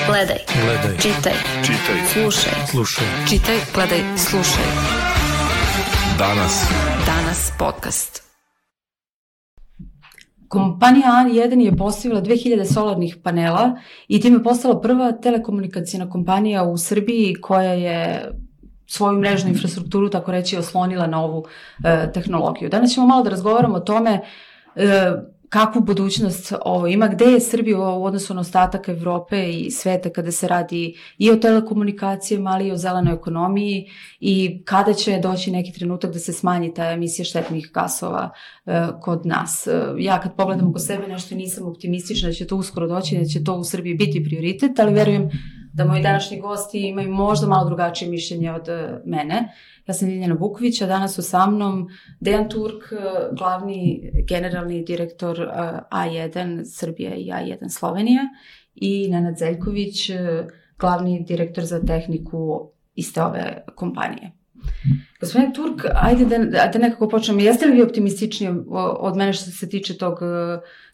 Gledaj. Čitaj. Slušaj. Čitaj, gledaj, slušaj. Danas podcast. Kompanija A1 je postavila 2000 solarnih panela i time postala prva telekomunikacijna kompanija u Srbiji koja je svoju mrežnu infrastrukturu, tako reći, oslonila na ovu tehnologiju. Danas ćemo malo da razgovaramo o tome kakvu budućnost ovo ima, gde je Srbija u odnosu na ostatak Evrope i sveta kada se radi i o telekomunikacijama, ali i o zelenoj ekonomiji i kada će doći neki trenutak da se smanji ta emisija štetnih gasova kod nas. Ja kad pogledam oko sebe nešto nisam optimistična da će to uskoro doći, da će to u Srbiji biti prioritet, ali verujem da moji današnji gosti imaju možda malo drugačije mišljenje od mene. Ja sam Ljiljana Vuković, a danas su sa mnom Dejan Turk, glavni generalni direktor A1 Srbija i A1 Slovenija i Nenad Zeljković, glavni direktor za tehniku iste ove kompanije. Gospodine Turk, ajde da nekako počnemo. Jeste li vi optimistični od mene što se tiče tog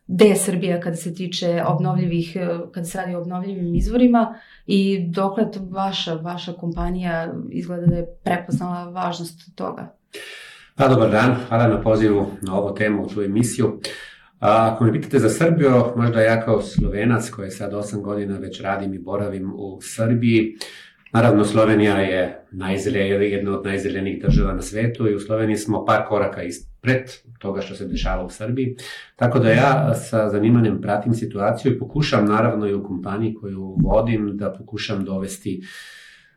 gde je Srbija kada se tiče obnovljivih, kada se radi o obnovljivim izvorima i dokle vaša kompanija izgleda da je prepoznala važnost toga? Pa, dobar dan, hvala na pozivu na ovu temu, u tu emisiju. Ako me pitate za Srbiju, možda ja kao Slovenac koji sad 8 godina već radim i boravim u Srbiji, naravno Slovenija je jedna od najzelenijih država na svetu i u Sloveniji smo par koraka ispred toga što se dešava u Srbiji. Tako da ja sa zanimanjem pratim situaciju i pokušam naravno i u kompaniji koju vodim da pokušam dovesti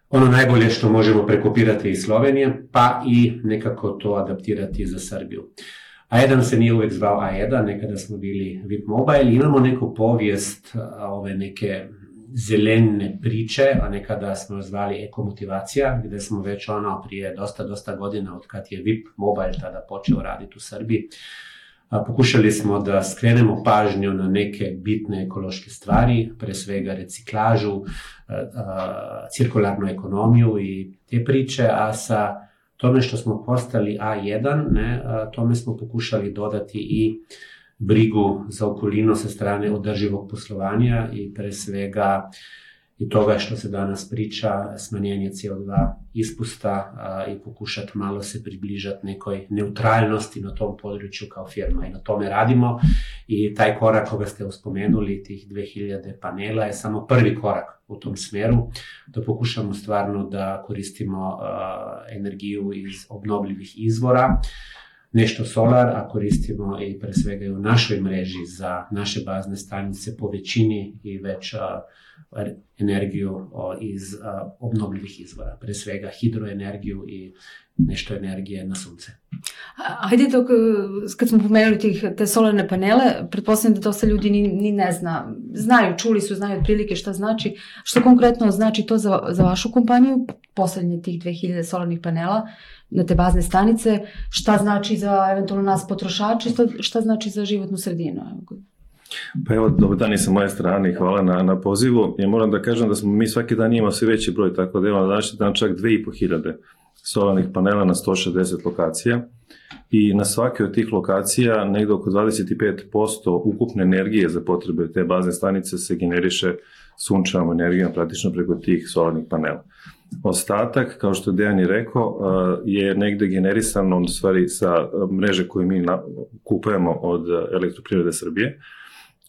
ono najbolje što možemo prekopirati iz Slovenije, pa i nekako to adaptirati za Srbiju. A1 se nije uvek zvao A1, nekada smo bili VIP Mobile, imamo neku povijest ove neke zelene priče, a nekada smo zvali ekomotivacija, gde smo već prije dosta godina od kad je VIP Mobile tada počeo raditi u Srbiji. Pokušali smo da skrenemo pažnju na neke bitne ekološke stvari, pre svega reciklažu, cirkularnu ekonomiju i te priče, a sa tome što smo postali A1, tome smo pokušali dodati i brigu za okolinu sa strane održivog poslovanja i pre svega i toga što se danas priča, smanjenje CO2 ispusta i pokušati malo se približati nekoj neutralnosti na tom području kao firma i na tome radimo i taj korak koga ste uspomenuli, tih 2000 panela je samo prvi korak u tom smeru, da pokušamo stvarno da koristimo energiju iz obnovljivih izvora, nešto solar, a koristimo i pre svega i u našoj mreži za naše bazne stanice po većini i već energiju iz obnovljivih izvora, pre svega hidroenergiju i nešto energije na sunce. Hajde kad smo pomenuli te solarne panele, pretpostavljam da dosta ljudi ni ne zna. Znaju otprilike šta znači. Što konkretno znači to za vašu kompaniju, postavljanje tih 2000 solarnih panela na te bazne stanice, šta znači za eventualno nas potrošače, šta znači za životnu sredinu? Pa evo, dobar dan i sa moje strane i hvala na pozivu. Ja moram da kažem da smo mi svaki dan imamo sve veći broj, tako da imamo današnji dan čak 2500 solarnih panela na 160 lokacija i na svake od tih lokacija negde oko 25% ukupne energije za potrebe te bazne stanice se generiše sunčevom energijom praktično preko tih solarnih panela. Ostatak, kao što Dejan je rekao, je negde generisan u stvari sa mreže koje mi kupujemo od Elektroprivrede Srbije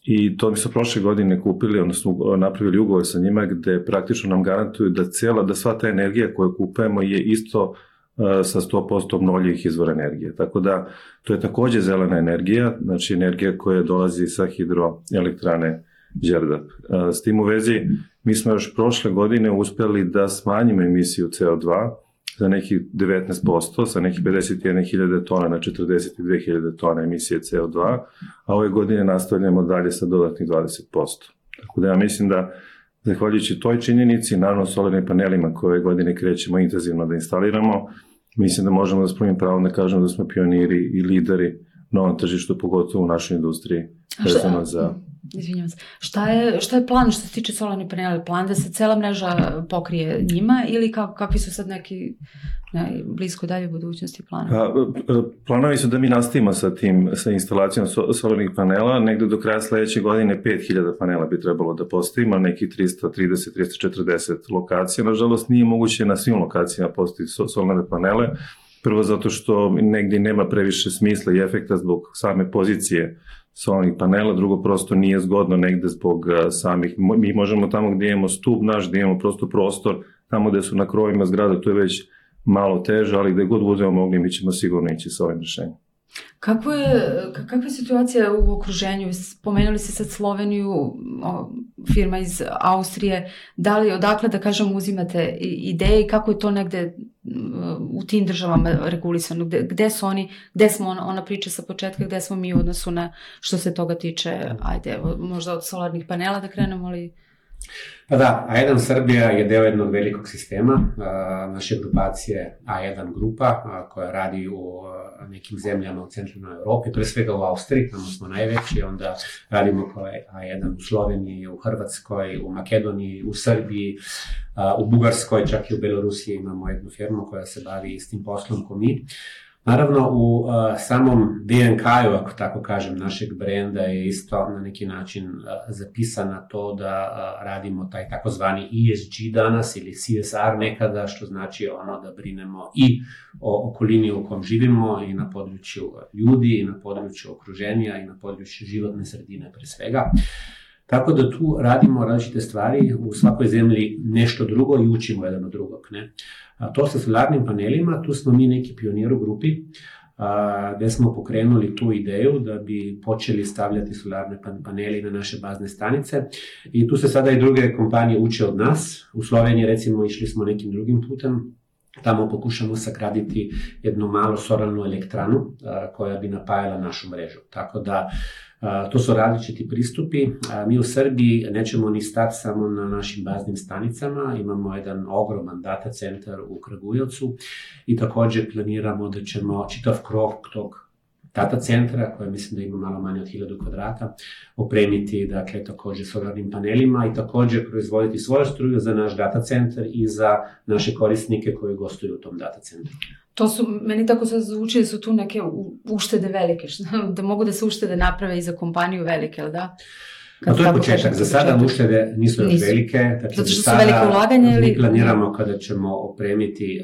i to mi su prošle godine kupili, odnosno napravili ugovor sa njima gde praktično nam garantuju da sva ta energija koju kupujemo je isto sa 100% obnovljivih izvora energije. Tako da to je takođe zelena energija, znači energija koja dolazi sa hidroelektrane Đerdap. S tim u vezi, mi smo još prošle godine uspeli da smanjimo emisiju CO2 za nekih 19%, sa nekih 51.000 tona na 42.000 tona emisije CO2, a ove godine nastavljamo dalje sa dodatnih 20%. Tako da ja mislim da, zahvaljujući toj činjenici, naravno solarnim panelima koje ove godine krećemo intenzivno da instaliramo, mislim da možemo da spremim pravo da kažemo da smo pioniri i lideri na ovom tržištu, pogotovo u našoj industriji, vezano za Izvinjavam se. Šta je plan što se tiče solarnih panela? Plan da se cela mreža pokrije njima ili kakvi su sad neki blisko dalje budućnosti plana? Planovi su da mi nastavimo sa instalacijom solarnih panela. Negde do kraja sledeće godine 5000 panela bi trebalo da postavimo, nekih 330-340 lokacija. Nažalost, nije moguće na svim lokacijama postaviti solarne panele. Prvo zato što negdje nema previše smisla i efekta zbog same pozicije solarnih panela, drugo prosto nije zgodno negde zbog samih, mi možemo tamo gdje imamo stup naš, gdje imamo prosto prostor, tamo gdje su na krovima zgrada, to je već malo teže, ali gdje god budemo mogli, mi ćemo sigurno ići sa ovim rješenjem. Kakva je situacija u okruženju? Spomenuli ste sad Sloveniju, firma iz Austrije. Da li odakle, da kažem, uzimate ideje i kako je to negde u tim državama regulisano? Gde su oni, gde smo ona priča sa početka, gde smo mi u odnosu na što se toga tiče, ajde, možda od solarnih panela da krenemo, ali... Pa da, A1 Srbija je deo jednog velikog sistema, naše grupacije A1 grupa koja radi u nekim zemljama u centralnoj Evropi, pre svega u Austriji, tamo smo najveći, onda radimo kao A1 u Sloveniji, u Hrvatskoj, u Makedoniji, u Srbiji, u Bugarskoj, čak i u Belorusiji imamo jednu firmu koja se bavi istim poslom ko mi. Naravno, u samom DNK-u, ako tako kažem, našeg brenda je isto na neki način zapisano to da radimo taj takozvani ESG danas ili CSR nekada, što znači ono da brinemo i o okolini u kom živimo i na području ljudi i na području okruženja i na području životne sredine pre svega. Tako da tu radimo različite stvari, u svakoj zemlji nešto drugo i učimo jedan od drugog. Ne? To sa solarnim panelima, tu smo mi neki pionir u grupi, gde smo pokrenuli tu ideju da bi počeli stavljati solarne paneli na naše bazne stanice i tu se sada i druge kompanije uče od nas. U Sloveniji recimo išli smo nekim drugim putem, tamo pokušamo sagraditi jednu malu solarnu elektranu koja bi napajala našu mrežu. Tako da to su različiti pristupi. Mi u Srbiji nećemo ni stati samo na našim baznim stanicama, imamo jedan ogroman data centar u Kragujevcu i također planiramo da ćemo čitav krov tog data centra, koja mislim da ima malo manje od 1000 kvadrata, opremiti dakle također solarnim panelima i također proizvoditi svoju struju za naš data centar i za naše korisnike koji gostuju u tom data centru. To su, meni tako sad zvuči da su tu neke uštede velike, da mogu da se uštede naprave i za kompaniju velike, ali da? A to je početak. Za sada uštede nisu još velike. Dakle, zato što su velike ulaganje ili... Mi planiramo kada ćemo opremiti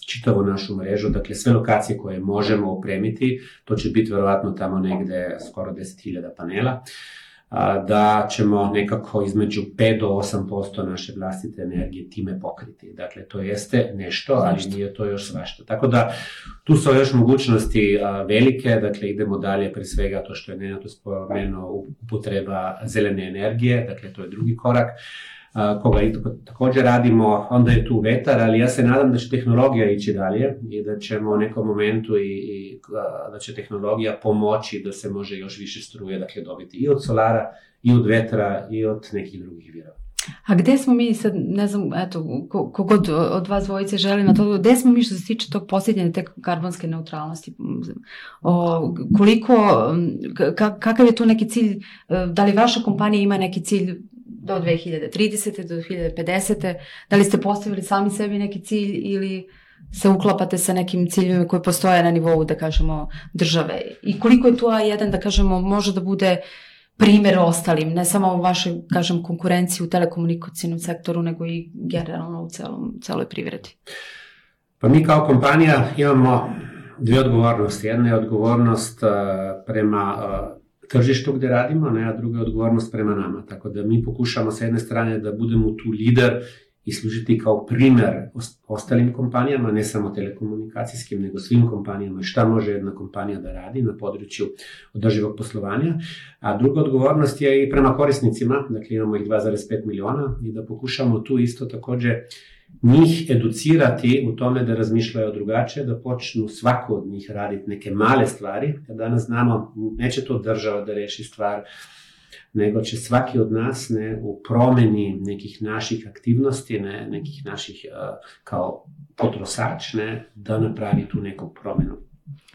čitavu našu mrežu, dakle sve lokacije koje možemo opremiti, to će biti verovatno tamo negde skoro 10.000 panela, da ćemo nekako između 5 do 8% naše vlastite energije time pokriti. Dakle, to jeste nešto, ali nije to još svašta. Tako da, tu su još mogućnosti velike, dakle, idemo dalje, pre svega to što je Nenad spomenuo, upotreba zelene energije, dakle, to je drugi korak, koga i također radimo, onda je tu vetar, ali ja se nadam da će tehnologija ići dalje i da ćemo u nekom momentu i da će tehnologija pomoći da se može još više struje, dakle, dobiti i od solara, i od vetra, i od nekih drugih virova. A gde smo mi sad, ne znam, eto, kogod od vas dvojice želi na to, gde smo mi što se tiče tog posljednje te karbonske neutralnosti? Kakav je tu neki cilj, da li vaša kompanija ima neki cilj do 2030. do 2050. Da li ste postavili sami sebi neki cilj ili se uklapate sa nekim ciljevima koji postoje na nivou, da kažemo, države? I koliko je tu A1, da kažemo, može da bude primjer ostalim, ne samo u vašoj, kažem, konkurenciji u telekomunikacijnom sektoru, nego i generalno u celoj privredi? Pa mi kao kompanija imamo dvije odgovornosti. Jedna je odgovornost prema tržištu gdje radimo, a druga je odgovornost prema nama. Tako da mi pokušamo sa jedne strane da budemo tu lider i služiti kao primjer ostalim kompanijama, ne samo telekomunikacijskim, nego svim kompanijama, šta može jedna kompanija da radi na području održivog poslovanja. A druga odgovornost je i prema korisnicima, dakle imamo ih 2,5 miliona i da pokušamo tu isto također njih educirati u tome da razmišljaju drugačije, da počnu svako od njih raditi neke male stvari, jer danas znamo, neće to država da reši stvar, nego će svaki od nas u promeni nekih naših aktivnosti, nekih naših kao potrošač, da napravi tu neku promenu.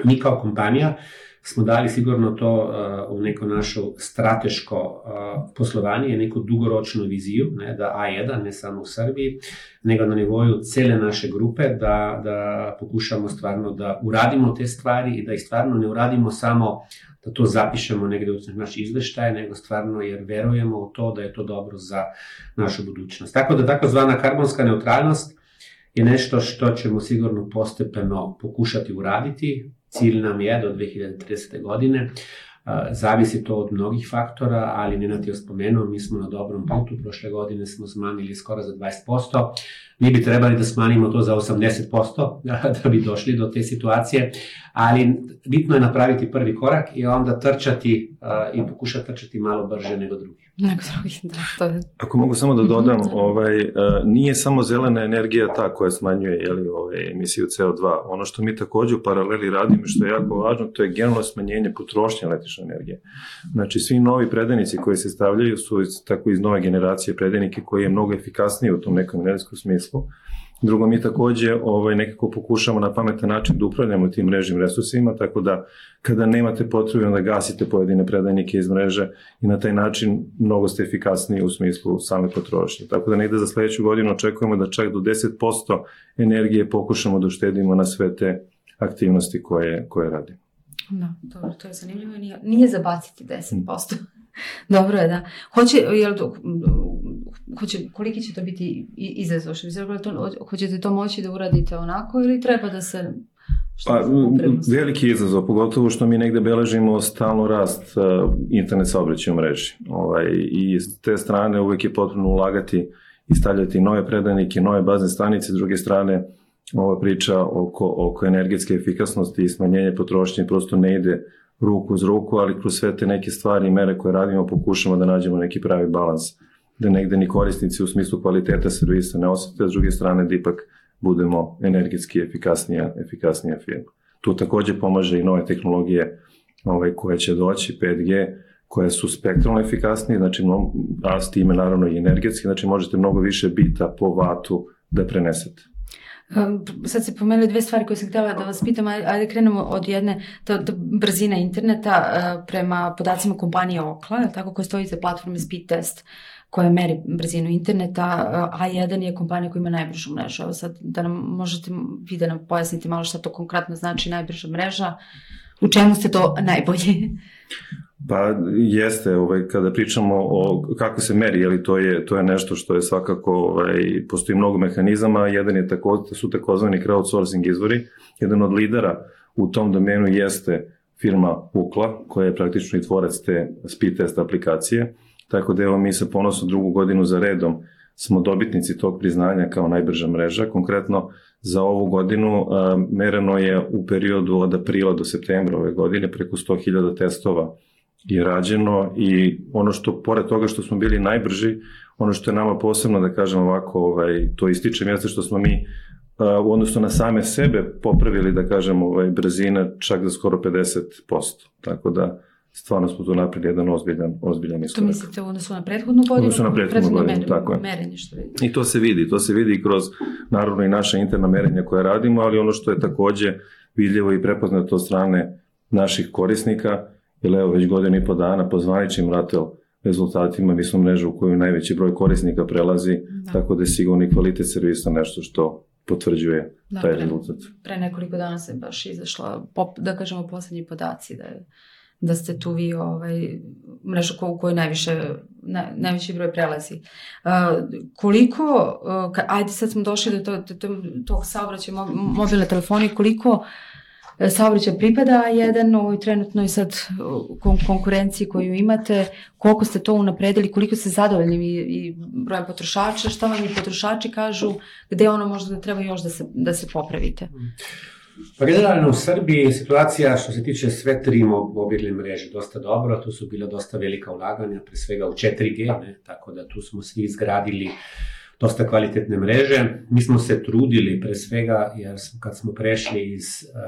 Mi kao kompanija smo dali sigurno to u neko naše strateško poslovanje, neku dugoročnu viziju, ne, da A1, ne samo u Srbiji, nego na nivoju cele naše grupe, da pokušamo stvarno da uradimo te stvari i da ih stvarno ne uradimo samo da to zapišemo negde u naš izveštaj, nego stvarno jer verujemo u to da je to dobro za našu budućnost. Tako da takozvana karbonska neutralnost je nešto što ćemo sigurno postepeno pokušati uraditi. Cilj nam je do 2030. godine. Zavisi to od mnogih faktora, ali Nenad je spomenuo, mi smo na dobrom putu. Prošle godine smo smanjili skoro za 20%. Mi bi trebali da smanjimo to za 80% da bi došli do te situacije, ali bitno je napraviti prvi korak i onda trčati i pokušati trčati malo brže nego drugi. Ako mogu samo da dodam, nije samo zelena energija ta koja smanjuje emisiju CO2. Ono što mi također u paraleli radimo, što je jako važno, to je generalno smanjenje potrošnje električne energije. Znači, svi novi predajnici koji se stavljaju su tako iz nove generacije predajnike koji je mnogo efikasniji u tom nekom energetskom smislu. Drugo, mi također nekako pokušamo na pametan način da upravljamo tim mrežnim resursima, tako da kada nemate potrebe da gasite pojedine predajnike iz mreže i na taj način mnogo ste efikasniji u smislu same potrošnje. Tako da negde za sledeću godinu očekujemo da čak do 10% energije pokušamo da uštedimo na sve te aktivnosti koje radimo. Da, dobro, to je zanimljivo. Nije zabaciti 10%. Dobro je, da. Koliki će to biti izazov? Hoćete to moći da uradite onako ili treba da se... Veliki izazov, pogotovo što mi negde beležimo stalno rast internet saobraćaja u mreži. I s te strane uvijek je potrebno ulagati i stavljati nove predajnike, nove bazne stanice. S druge strane, ova priča oko energetske efikasnosti i smanjenja potrošnje prosto ne ide ruku uz ruku, ali kroz sve te neke stvari i mere koje radimo pokušamo da nađemo neki pravi balans, da negde ni korisnici u smislu kvaliteta servisa ne osjete, a s druge strane da ipak budemo energetski efikasnija firma. Tu također pomaže i nove tehnologije koje će doći, 5G, koje su spektralno efikasnije, znači, a s time naravno i energetski, znači možete mnogo više bita po vatu da prenesete. Sad se pomenuli dve stvari koje sam htjela da vas pitam, ajde krenemo od jedne, brzina interneta prema podacima kompanije Ookla, tako koja stoji za platforme Speedtest koja meri brzinu interneta. A1 je kompanija koja ima najbržu mrežu. Evo sad da nam možete vi da nam pojasnite malo šta to konkretno znači najbrža mreža, u čemu ste to najbolji? Pa jeste, kada pričamo o kako se meri, to je nešto što je svakako, postoji mnogo mehanizama, jedan su takozvani crowdsourcing izvori, jedan od lidera u tom domenu jeste firma Ookla, koja je praktično i tvorac te speed test aplikacije, tako da evo mi sa ponosom drugu godinu za redom smo dobitnici tog priznanja kao najbrža mreža. Konkretno za ovu godinu mereno je u periodu od aprila do septembra ove godine preko 100.000 testova je rađeno i ono što, pored toga što smo bili najbrži, ono što je nama posebno, da kažem ovako, to ističem, jeste što smo mi u odnosu na same sebe popravili, da kažem, brzine čak za skoro 50%. Tako da stvarno smo tu napravili jedan ozbiljan iskorak. To mislite u odnosu na prethodnu godinu? U odnosu na prethodnu godinu, tako je. Merenje što vidite. I to se vidi kroz, naravno, i naša interna merenja koje radimo, ali ono što je također vidljivo i prepoznato od strane naših korisnika, jer evo već godinu i po dana po zvaničnim RATEL rezultatima mi smo mreža u koju najveći broj korisnika prelazi, tako da je sigurno i kvalitet servisa nešto što potvrđuje taj rezultat. Pre nekoliko dana se baš izašla, da kažemo, posljednji podaci da ste tu vi mrežu u kojoj najveći broj prelazi. Koliko, ajde sad smo došli do tog saobraćaja mobilne telefonije, koliko saobraćaj pripada A1 u ovoj trenutnoj sad konkurenciji koju imate, koliko ste to unapredili, koliko ste zadovoljni i brojem potrošača, šta vam i potrošači kažu, gde ono možda treba još da se popravite? Pa generalno u Srbiji je situacija što se tiče sve tri mobilne mreže dosta dobro, tu su bila dosta velika ulaganja, pre svega u 4G, tako da tu smo svi izgradili dosta kvalitetne mreže. Mi smo se trudili pre svega, jer kad smo prešli iz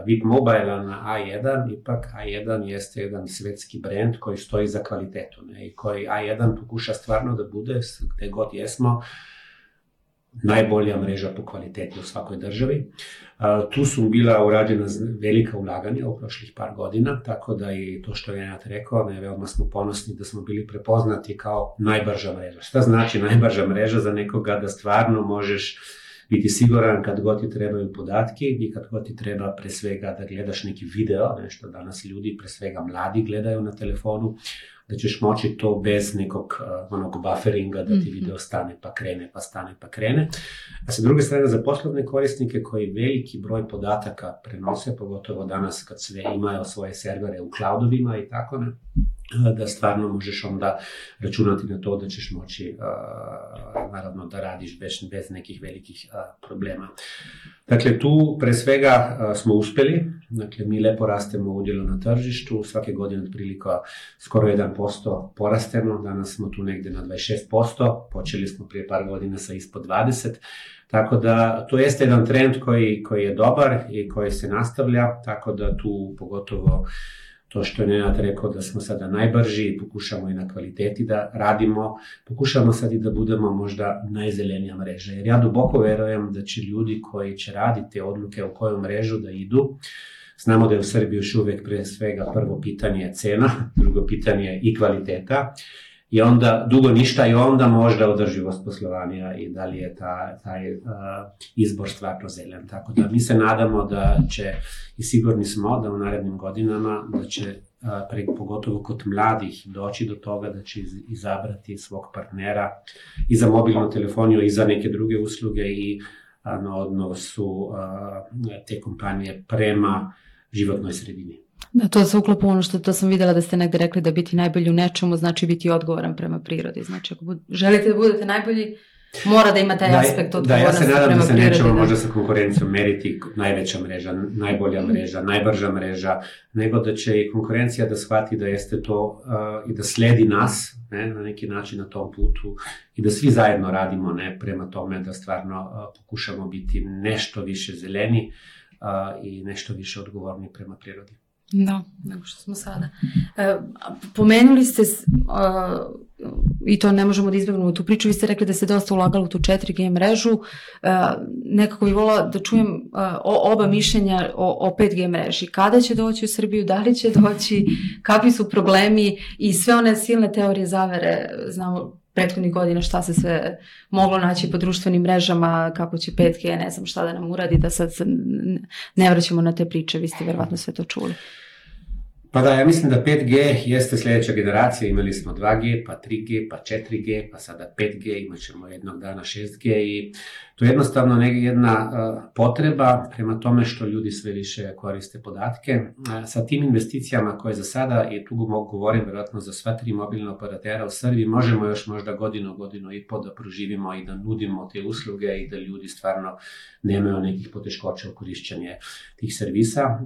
VIP Mobile-a na A1, ipak A1 jeste jedan svetski brend koji stoji za kvalitetu, i koji A1 pokuša stvarno da bude, gde god jesmo, najbolja mreža po kvaliteti u svakoj državi. Tu su bila urađena velika ulaganja u prošlih par godina, tako da i to što je Nenad rekao, veoma smo ponosni da smo bili prepoznati kao najbrža mreža. Šta znači najbrža mreža za nekoga? Da stvarno možeš biti siguran kad god ti trebaju podatki i kad god ti treba pre svega da gledaš neki video, nešto danas ljudi, pre svega mladi gledaju na telefonu, da ćeš moći to bez nekog onog bufferinga, da ti video stane pa krene, pa stane pa krene. A sa druge strane, za poslovne korisnike koji veliki broj podataka prenose, pogotovo danas kad sve imaju svoje servere u cloudovima i tako ne, da stvarno možeš onda računati na to da ćeš moći naravno da radiš bez nekih velikih problema. Dakle, tu pre svega smo uspeli, dakle mi lepo rastemo u udjelu na tržištu, svake godine otprilike skoro 1% porastemo, danas smo tu negde na 26%, počeli smo prije par godina sa ispod 20%, tako da to jeste jedan trend koji je dobar i koji se nastavlja, tako da tu pogotovo to što je Nenad rekao da smo sada najbrži, pokušamo i na kvaliteti da radimo, pokušamo sad i da budemo možda najzelenija mreža. Jer ja duboko verujem da će ljudi koji će raditi odluke u koju mrežu da idu, znamo da je u Srbiji još uvijek pre svega prvo pitanje cena, drugo pitanje i kvaliteta, i onda dugo ništa i onda možda održivost poslovanja i da li je taj izbor stvarno zelen. Tako da mi se nadamo da će, i sigurni smo da u narednim godinama, da će pogotovo kod mladih doći do toga da će izabrati svog partnera i za mobilnu telefoniju i za neke druge usluge i na odnosu te kompanije prema životnoj sredini. Da, to se uklapa ono što sam vidjela da ste negde rekli da biti najbolji u nečemu znači biti odgovoran prema prirodi. Znači ako želite da budete najbolji, mora da ima taj aspekt odgovornosti prema prirodi. Da, ja se nadam da se nećemo možda sa konkurencijom meriti najveća mreža, najbolja mreža, najbrža mreža, nego da će i konkurencija da shvati da jeste to i da sledi nas na neki način na tom putu i da svi zajedno radimo prema tome da stvarno pokušamo biti nešto više zeleni i nešto više odgovorni prema prirodi. Da, nego što smo sada. Pomenuli ste, i to ne možemo da izbjegnemo tu priču, vi ste rekli da se dosta ulagalo u tu 4G mrežu. Nekako bih volila da čujem oba mišljenja o 5G mreži. Kada će doći u Srbiju, da li će doći, kakvi su problemi i sve one silne teorije zavere, znamo prethodnih godina šta se sve moglo naći po društvenim mrežama, kako će 5G, ne znam šta da nam uradi, da sad ne vraćamo na te priče, vi ste verovatno sve to čuli. Pa da, ja mislim da 5G jeste sljedeća generacija, imali smo 2G, pa 3G, pa 4G, pa sada 5G, imat ćemo jednog dana 6G i to je jednostavno jedna potreba prema tome što ljudi sve više koriste podatke. Sa tim investicijama koje za sada, i tu mogu govorim vjerojatno za sva 3 mobilna operatera u Srbiji, možemo još možda godinu i pol da proživimo i da nudimo te usluge i da ljudi stvarno nemaju nekih poteškoća u korišćenju tih servisa,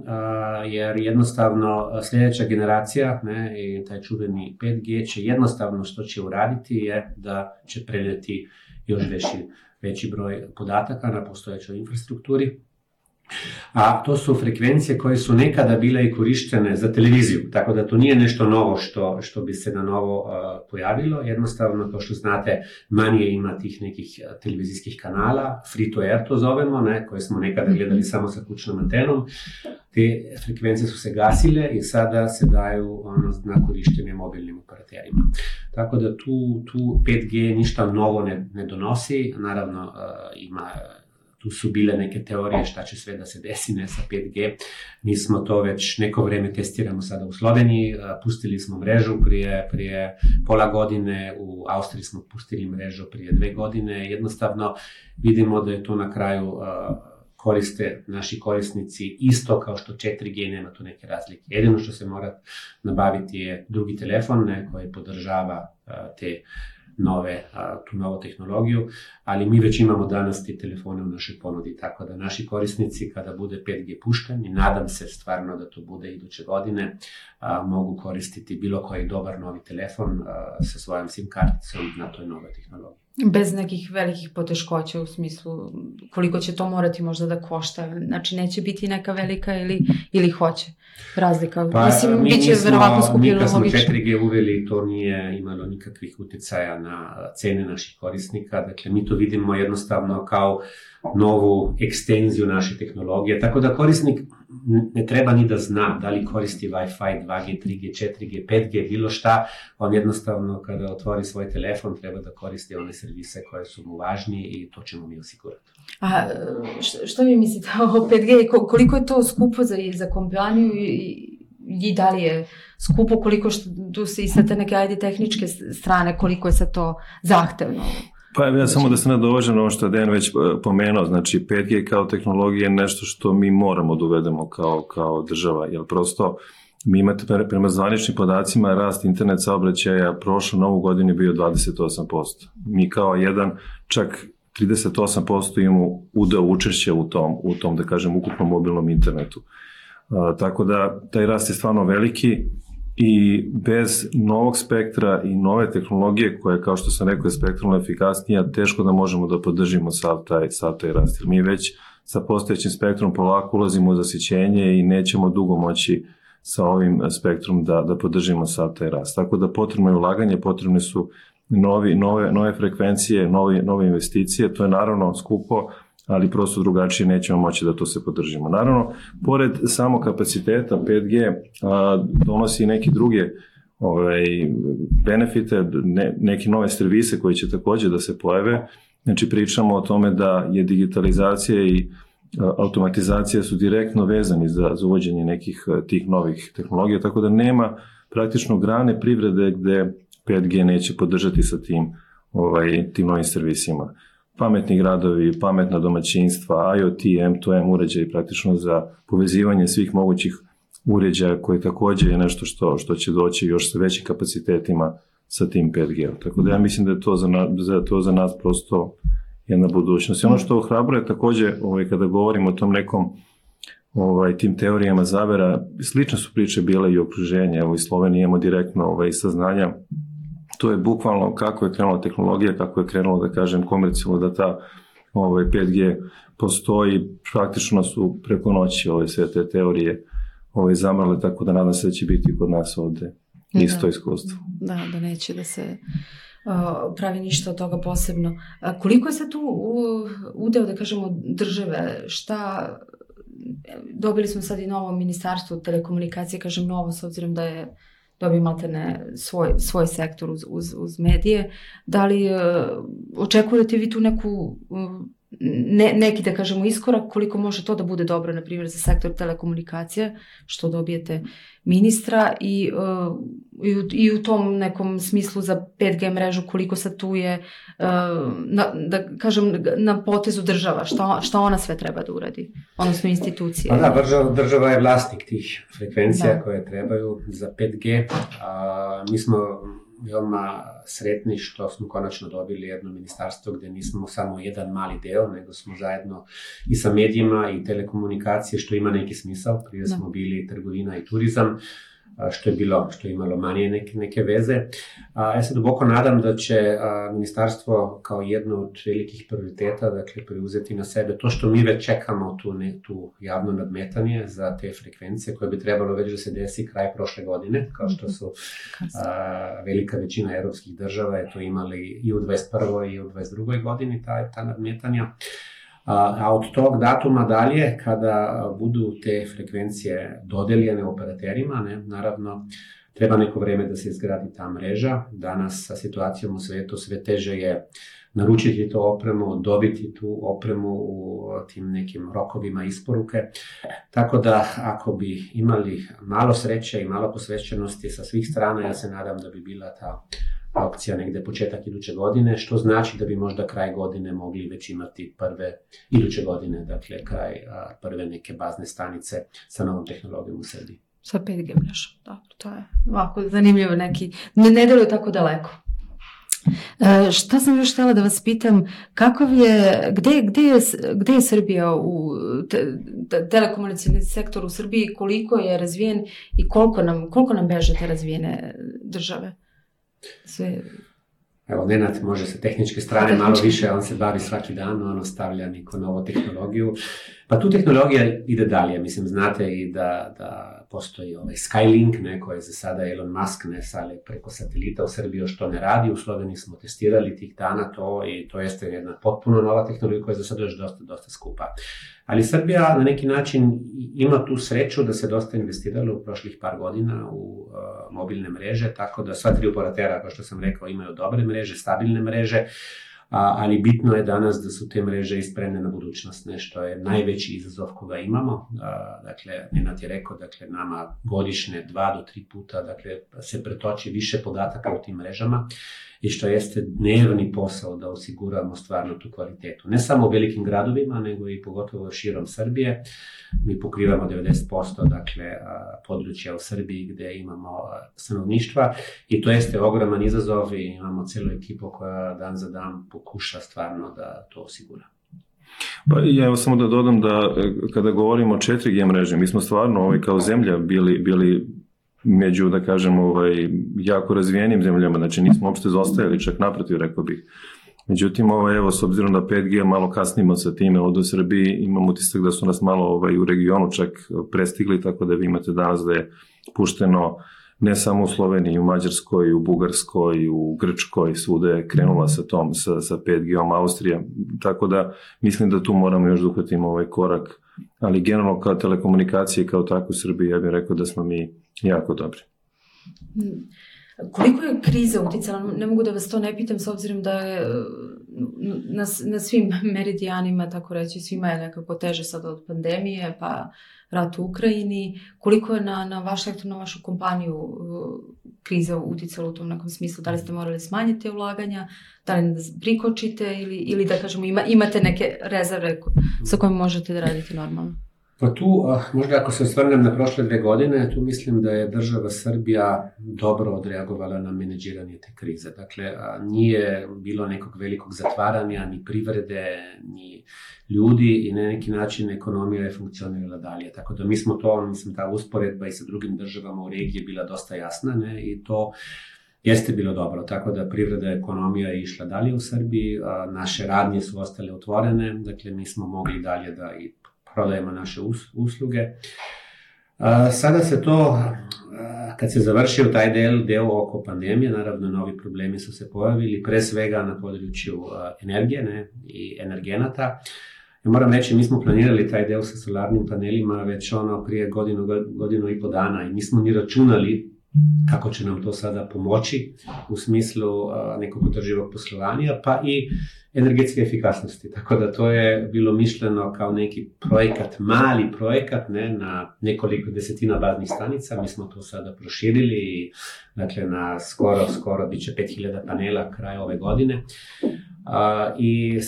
jer jednostavno sljedeća generacija i taj čuveni 5G će jednostavno što će uraditi je da će prenijeti još veći broj podataka na postojećoj infrastrukturi. A to su frekvencije koje su nekada bile i korištene za televiziju, tako da to nije nešto novo što bi se na novo pojavilo. Jednostavno, kao što znate, manje ima tih nekih televizijskih kanala, free to air to zovemo, koje smo nekada gledali samo sa kućnom antenom. Te frekvencije su se gasile i sada se daju na korištenje mobilnim operaterima. Tako da tu 5G ništa novo ne donosi, naravno tu su bile neke teorije šta će sve da se desi sa 5G. Mi smo to već neko vreme testiramo sada u Sloveniji, pustili smo mrežu prije pola godine, u Austriji smo pustili mrežu prije 2 godine. Jednostavno vidimo da je to na kraju koriste naši korisnici isto kao što 4G, nema tu neke razlike. Jedino što se mora nabaviti je drugi telefon koji podržava tu novu tehnologiju, ali mi već imamo danas te telefone u našoj ponudi, tako da naši korisnici kada bude 5G pušten, i nadam se stvarno da to bude iduće godine, mogu koristiti bilo koji dobar novi telefon sa svojom SIM karticom na toj novoj tehnologiji. Bez nekih velikih poteškoća u smislu koliko će to morati možda da košta. Znači neće biti neka velika ili hoće razlika. Pa, mislim, bit će verovatno skupljeno logično. Mi kad smo 4G uveli, to nije imalo nikakvih uticaja na cene naših korisnika. Dakle, mi to vidimo jednostavno kao novu ekstenziju naše tehnologije. Tako da korisnik ne treba ni da zna da li koristi Wi-Fi, 2G, 3G, 4G, 5G, bilo šta. On jednostavno kada otvori svoj telefon treba da koristi one servise koje su mu važnije i to ćemo mi osigurati. A što vi mislite o 5G? Koliko je to skupo za kompaniju i da li je skupo, koliko tu se i sa te neke tehničke strane, koliko je sad to zahtevno? Pa ja samo da se nadovežem na ovo što je Dejan već pomenuo, znači 5G kao tehnologija je nešto što mi moramo da uvedemo kao država, jer prosto mi imate prema zvaničnim podacima rast internet saobraćaja prošle novu godinu je bio 28%. Mi kao jedan čak 38% imamo udeo učešća u tom, da kažem, ukupnom mobilnom internetu. Tako da taj rast je stvarno veliki i bez novog spektra i nove tehnologije koja, kao što sam rekao, je spektralno efikasnija, teško da možemo da podržimo sav taj rast. Jer mi već sa postojećim spektrom polako ulazimo u zasićenje i nećemo dugo moći sa ovim spektrom da podržimo sav taj rast. Tako da potrebno je ulaganje, potrebne su nove frekvencije, nove investicije, to je naravno skupo, ali prosto drugačije nećemo moći da to se podržimo. Naravno, pored samo kapaciteta 5G donosi neke druge benefite, neke nove servise koji će također da se pojave. Znači pričamo o tome da je digitalizacija i automatizacija su direktno vezani za uvođenje nekih tih novih tehnologija, tako da nema praktično grane privrede gde 5G neće podržati sa tim novim servisima. Pametni gradovi, pametna domaćinstva, IoT, M2M uređaji praktično za povezivanje svih mogućih uređaja koji također je nešto što će doći još sa većim kapacitetima sa tim 5G. Tako da ja mislim da je to za nas prosto jedna budućnost. I ono što ohrabruje također kada govorimo o tom nekom tim teorijama zavera, slične su priče bile i okruženje. Evo i Slovenija imamo direktno saznanja. To je bukvalno kako je krenula tehnologija, kako je krenulo, da kažem, komercijalno da ta 5G postoji. Praktično su preko noći sve te teorije zamrle, tako da nadam se da će biti kod nas ovde isto iskustvo. Da neće da se pravi ništa od toga posebno. Koliko je sad tu udeo, da kažemo, države? Dobili smo sad i novo ministarstvo telekomunikacije, kažem novo, s obzirom da je dobio maltene svoj sektor uz medije. Da li očekujete vi tu neki, da kažemo, iskorak, koliko može to da bude dobro, na primjer, za sektor telekomunikacije, što dobijete ministra i u tom nekom smislu za 5G mrežu, koliko sad tu je, da kažem, na potezu država, šta ona sve treba da uradi, odnosno institucije. Pa da, država je vlasnik tih frekvencija koje trebaju za 5G. Mi smo veoma sretni što smo konačno dobili jedno ministarstvo gde nismo samo jedan mali deo, nego smo zajedno i sa medijima i telekomunikacije, što ima neki smisao. Prije smo bili trgovina i turizam, što je imalo manje neke veze. Ja se duboko nadam da će ministarstvo kao jedno od velikih prioriteta, dakle, preuzeti na sebe to što mi već čekamo, tu javno nadmetanje za te frekvencije koje bi trebalo već da se desi kraj prošle godine, kao što su velika većina evropskih država je to imali i u 21. i u 22. godini ta nadmetanja. A od tog datuma dalje, kada budu te frekvencije dodeljene operaterima, naravno, treba neko vreme da se izgradi ta mreža. Danas sa situacijom u svetu sve teže je naručiti tu opremu, dobiti tu opremu u tim nekim rokovima isporuke. Tako da, ako bi imali malo sreće i malo posvećenosti sa svih strana, ja se nadam da bi bila ta opcija negde početak iduće godine, što znači da bi možda kraj godine mogli već imati iduće godine, dakle kraj prve neke bazne stanice sa novom tehnologijom u Srbiji. Sa 5G mrežom, dobro, to je ovako zanimljivo neki, ne deluje tako daleko. Šta sam još htjela da vas pitam, gde je Srbija u telekomunikacijski sektor u Srbiji, koliko je razvijen i koliko nam beže te razvijene države? Evo, Nenad može sa tehničke strane malo više, on se bavi svaki dan, on stavlja neku novu tehnologiju. Pa tu tehnologija ide dalje, mislim, znate i da postoji ovaj Skylink, ne, koji za sada Elon Musk ne sale preko satelita u Srbiji, što ne radi, u Sloveniji smo testirali tih dana to i to jeste jedna potpuno nova tehnologija koja je za sada još dosta skupa. Ali Srbija na neki način ima tu sreću da se dosta investiralo u prošlih par godina u mobilne mreže, tako da sva tri operatera, kao što sam rekao, imaju dobre mreže, stabilne mreže, ali bitno je danas da su te mreže ispremne na budućnost, nešto je najveći izazov koga imamo. Dakle, Nenad je rekao, dakle, nama godišnje 2 do 3 puta, dakle, se pretoči više podataka u tim mrežama i što jeste dnevni posao da osiguramo stvarno tu kvalitetu. Ne samo u velikim gradovima, nego i pogotovo širom Srbije. Mi pokrivamo 90%, dakle, područja u Srbiji gde imamo stanovništva i to jeste ogroman izazov i imamo celu ekipu koja dan za dan pokuša stvarno da to osigura. Pa ja evo samo da dodam da kada govorimo o 4G mreže, mi smo stvarno kao zemlja bili među, da kažem, jako razvijenim zemljama, znači nismo uopšte zostajali, čak naprotiv, rekao bih. Međutim, evo, s obzirom da 5G malo kasnimo sa time od u Srbiji, imam utisak da su nas malo u regionu čak prestigli, tako da vi imate danas da je pušteno ne samo u Sloveniji, u Mađarskoj, u Bugarskoj, u Grčkoj, svuda je krenula sa 5G-om Austrija, tako da mislim da tu moramo još da uhvatimo ovaj korak, ali generalno kao telekomunikacije kao tako u Srbiji, ja bih rekao da smo mi jako dobri. Koliko je kriza uticala? Ne mogu da vas to ne pitam s obzirom da je na svim meridijanima, tako reći, svima je nekako teže sad od pandemije, pa rat u Ukrajini. Koliko je na vaš sektor, na vašu kompaniju kriza uticala u tom nekom smislu? Da li ste morali smanjiti ulaganja, da li da prikočite ili da kažemo imate neke rezerve sa kojima možete da radite normalno? Pa tu, možda ako se osvrnem na prošle 2 godine, tu mislim da je država Srbija dobro odreagovala na menadžiranje te krize. Dakle, nije bilo nekog velikog zatvaranja, ni privrede, ni ljudi i na neki način ekonomija je funkcionirala dalje. Tako da mi smo to, mislim, ta usporedba i sa drugim državama u regiji bila dosta jasna, ne, i to jeste bilo dobro, tako da privreda i ekonomija je išla dalje u Srbiji, naše radnje su ostale otvorene, dakle mi smo mogli dalje da i prodajemo naše usluge. Sada se to, kad se završio taj deo oko pandemije, naravno novi problemi su se pojavili, pre svega na području energije, ne, i energenata. Ja moram reći, mi smo planirali taj deo sa solarnim panelima već prije godinu i po dana i nismo ni računali kako će nam to sada pomoći u smislu nekog održivog poslovanja, pa i energetske efikasnosti. Tako da to je bilo mišljeno kao neki projekat, mali projekat, ne, na nekoliko desetina baznih stanica. Mi smo to sada proširili i dakle na skoro bit će 5000 panela kraj ove godine. I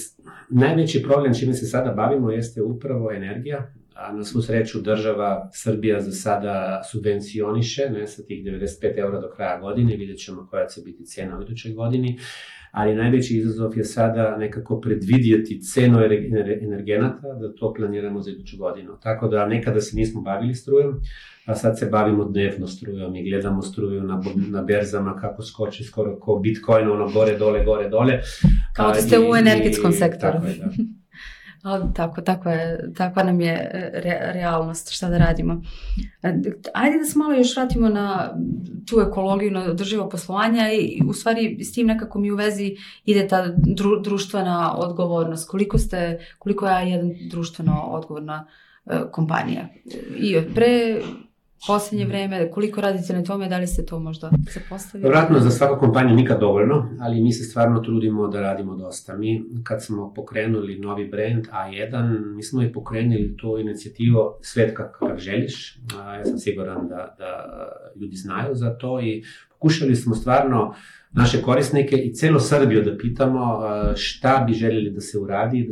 najveći problem čime se sada bavimo jeste upravo energija. A na svu sreću država Srbija za sada subvencioniše, ne, sa tih 95 € do kraja godine, vidjet ćemo koja će biti cena u idućoj godini, ali najveći izazov je sada nekako predvidjeti cenu energenata, da to planiramo za iduću godinu. Tako da nekada se nismo bavili strujom, a sad se bavimo dnevno strujom i gledamo struju na berzama kako skoči skoro kao Bitcoin, gore, dole. Kao da ste u energetskom sektoru. Tako je, da. Takva nam je realnost, šta da radimo. Ajde da se malo još vratimo na tu ekologiju, na održivo poslovanja i u stvari s tim nekako mi u vezi ide ta društvena odgovornost. Koliko je A1 društveno odgovorna kompanija? I pre posljednje vreme, koliko radite na tome, da li ste to možda zapostavili? Vratno, za svaku kompaniju nikad dovoljno, ali mi se stvarno trudimo da radimo dosta. Mi, kad smo pokrenuli novi brand A1, mi smo i pokrenuli tu inicijativu Svet kakav želiš. Ja sam siguran da ljudi znaju za to i pokušali smo stvarno naše korisnike i celo Srbiju da pitamo šta bi željeli da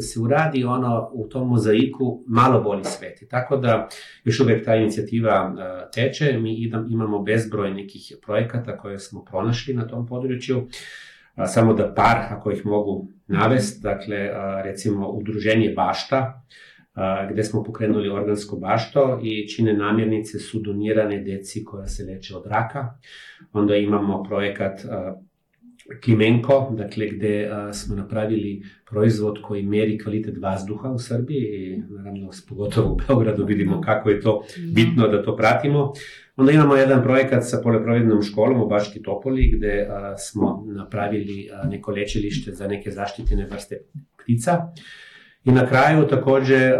se uradi u tom mozaiku malo bolji svet. I tako da još uvijek ta inicijativa teče, mi imamo bezbroj nekih projekata koje smo pronašli na tom području, samo da par, ako ih mogu navesti, dakle recimo udruženje Bašta, gde smo pokrenuli organsko bašto i čine namirnice su donirane deci koja se leče od raka. Onda imamo projekat Klimenko, dakle gde smo napravili proizvod koji meri kvalitet vazduha u Srbiji i naravno pogotovo u Beogradu vidimo kako je to bitno da to pratimo. Onda imamo jedan projekat sa poljoprivrednom školom u Bački Topoli gde smo napravili neko lečilište za neke zaštićene vrste ptica. I na kraju takođe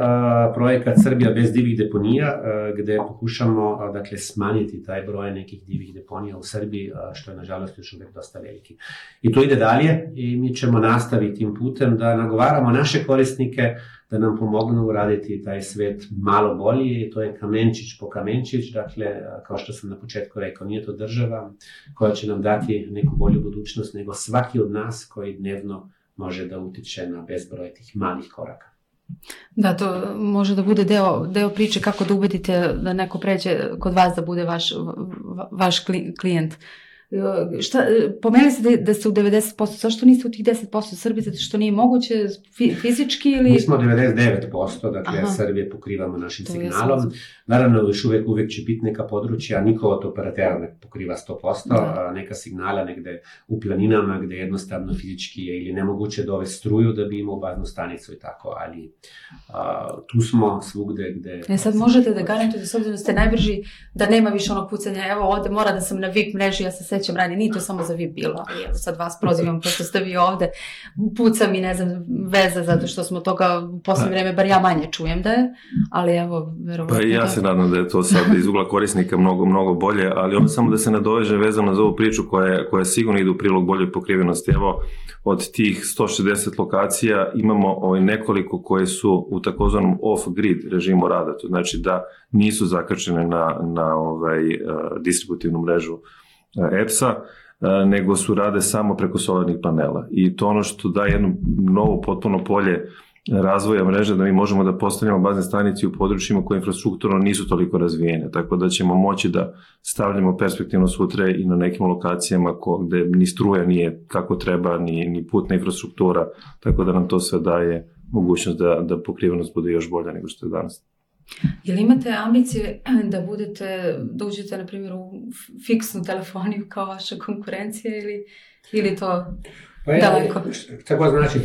projekat Srbija bez divih deponija, gde pokušamo dakle, smanjiti taj broj nekih divih deponija u Srbiji, što je nažalost još uvek dosta veliki. I to ide dalje i mi ćemo nastaviti tim putem da nagovaramo naše korisnike da nam pomognu uraditi taj svet malo bolji i to je kamenčić po kamenčić, dakle, kao što sam na početku rekao, nije to država koja će nam dati neku bolju budućnost, nego svaki od nas koji dnevno može da utiče na bezbroj tih malih koraka. Da, to može da bude deo priče kako da ubedite da neko pređe kod vas da bude vaš klijent. Pomenuli ste da ste u 90%, zašto niste u tih 10% Srbije, zato što nije moguće fizički ili... Mi smo 99%, dakle Srbije pokrivamo našim signalom. Naravno, još uvek će biti neka područja, niko od operatera ne pokriva 100%, neka signala negde u planinama gde jednostavno fizički je ili nemoguće dovesti struju da bi imao baznu stanicu i tako, ali tu smo svugde gde... Sad možete da garantujete, s obzirom da ste najbrži, da nema više onog pucanja, evo ovde mora da sam na VIP mreži, ja se sećam ranije, nije to samo za VIP bilo, ali evo sad vas prozivam pošto ste vi ovde, puca mi, ne znam, veze, zato što smo toga u posljednje vreme, bar ja manje čujem da je, ali evo, verovatno... Pa ja se nadam da je to sad iz ugla korisnika mnogo bolje, ali onda samo da se nadoveže vezano za ovu priču koja sigurno ide u prilog boljoj pokrivenosti. Evo, od tih 160 lokacija imamo nekoliko koje su u takozvanom off-grid režimu rada, to znači da nisu zakačene na distributivnu mrežu EPS-a, nego su rade samo preko solarnih panela. I to ono što daje jedno novo potpuno polje razvoja mreže, da mi možemo da postavljamo bazne stanice u područjima koje infrastrukturno nisu toliko razvijene, tako da ćemo moći da stavljamo perspektivno sutra i na nekim lokacijama gde ni struja nije kako treba, ni putna infrastruktura, tako da nam to sve daje mogućnost da pokrivenost bude još bolja nego što je danas. Jel imate ambicije da uđete, na primjer, u fiksnu telefoniju kao vaša konkurencija ili to daleko? Tako znači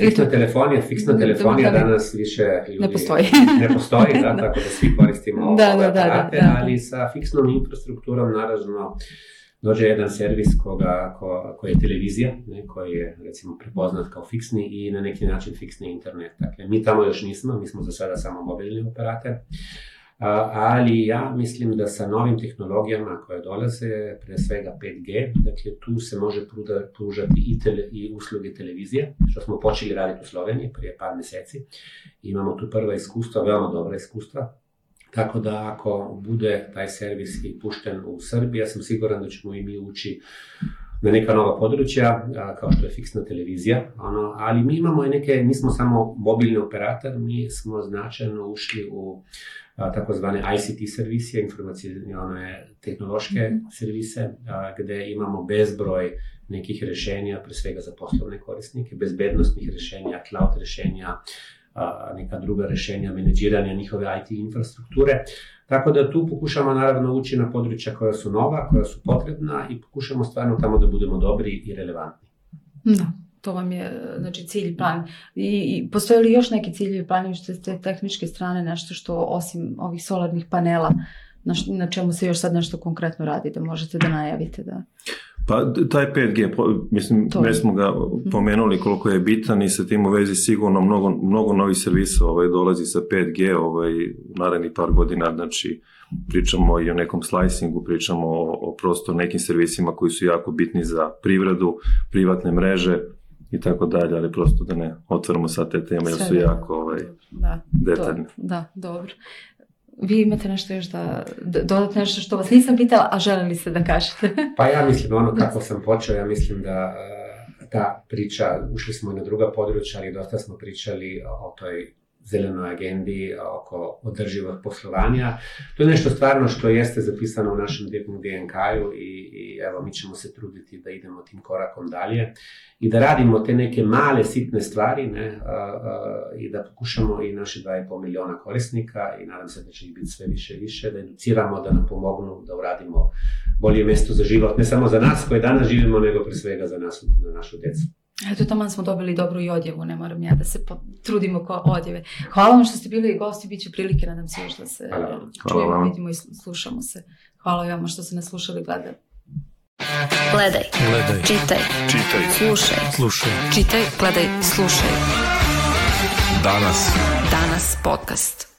fiksna telefonija danas više ljudi ne postoji, tako da svi koristimo ove aparate, ali sa fiksnom infrastrukturom naravno dođe jedan servis koji je televizija, koji je recimo prepoznat kao fiksni i na neki način fiksni internet. Dakle, mi tamo još nismo, mi smo za sada samo mobilni operator, ali ja mislim da sa novim tehnologijama koje dolaze, pre svega 5G, dakle tu se može pružati i usluge televizije, što smo počeli raditi u Sloveniji prije par meseci. Imamo tu prva iskustva, veoma dobra iskustva. Tako da ako bude taj servis i pušten u Srbiji, ja sam siguran da ćemo i mi ući na neka nova područja, kao što je fiksna televizija, ali mi imamo nismo samo mobilni operator, mi smo značajno ušli u takozvane ICT servisije, informacijone tehnološke servise, gde imamo bezbroj nekih rešenja, pre svega za poslovne korisnike, bezbednostnih rešenja, cloud rešenja, neka druga rešenja, menadžiranja njihove IT infrastrukture. Tako da tu pokušamo naravno ući na područja koja su nova, koja su potrebna i pokušamo stvarno tamo da budemo dobri i relevantni. Da, to vam je znači cilj, plan. I postoje li još neki ciljevi, planovi što ste tehničke strane, nešto što osim ovih solarnih panela, na čemu se još sad nešto konkretno radi, da možete da najavite da... Pa taj 5G, mislim, već smo ga pomenuli koliko je bitan i sa tim u vezi sigurno mnogo novih servisa dolazi sa 5G u narednih par godina, znači pričamo i o nekom slicingu, pričamo o prosto nekim servisima koji su jako bitni za privredu, privatne mreže i tako dalje, ali prosto da ne otvorimo sad te teme jer su jako detaljne. Da, dobro. Vi imate nešto još da dodate, nešto što vas nisam pitala, a želeli ste da kažete? Pa ja mislim, kako sam počeo, ja mislim da ta priča, ušli smo i na druga područja, ali dosta smo pričali o toj zelenoj agendi oko održivog poslovanja. To je nešto stvarno što jeste zapisano u našem DNK-u i evo, mi ćemo se truditi da idemo tim korakom dalje i da radimo te neke male, sitne stvari, ne, i da pokušamo i naše 2,5 miliona korisnika, i nadam se da će ih biti sve više i više, da educiramo, da nam pomognu, da uradimo bolje mjesto za život, ne samo za nas koji danas živimo, nego pre svega za nas, za našu djecu. Eto, taman smo dobili dobru i odjevu, ne moram ja da se trudimo ko odjeve. Hvala vam što ste bili gosti, bit će prilike, nadam se još da se čujemo, vidimo i slušamo se. Hvala i vama što ste nas slušali i gledali. Gledaj, čitaj, slušaj. Čitaj, gledaj, slušaj. Danas podcast.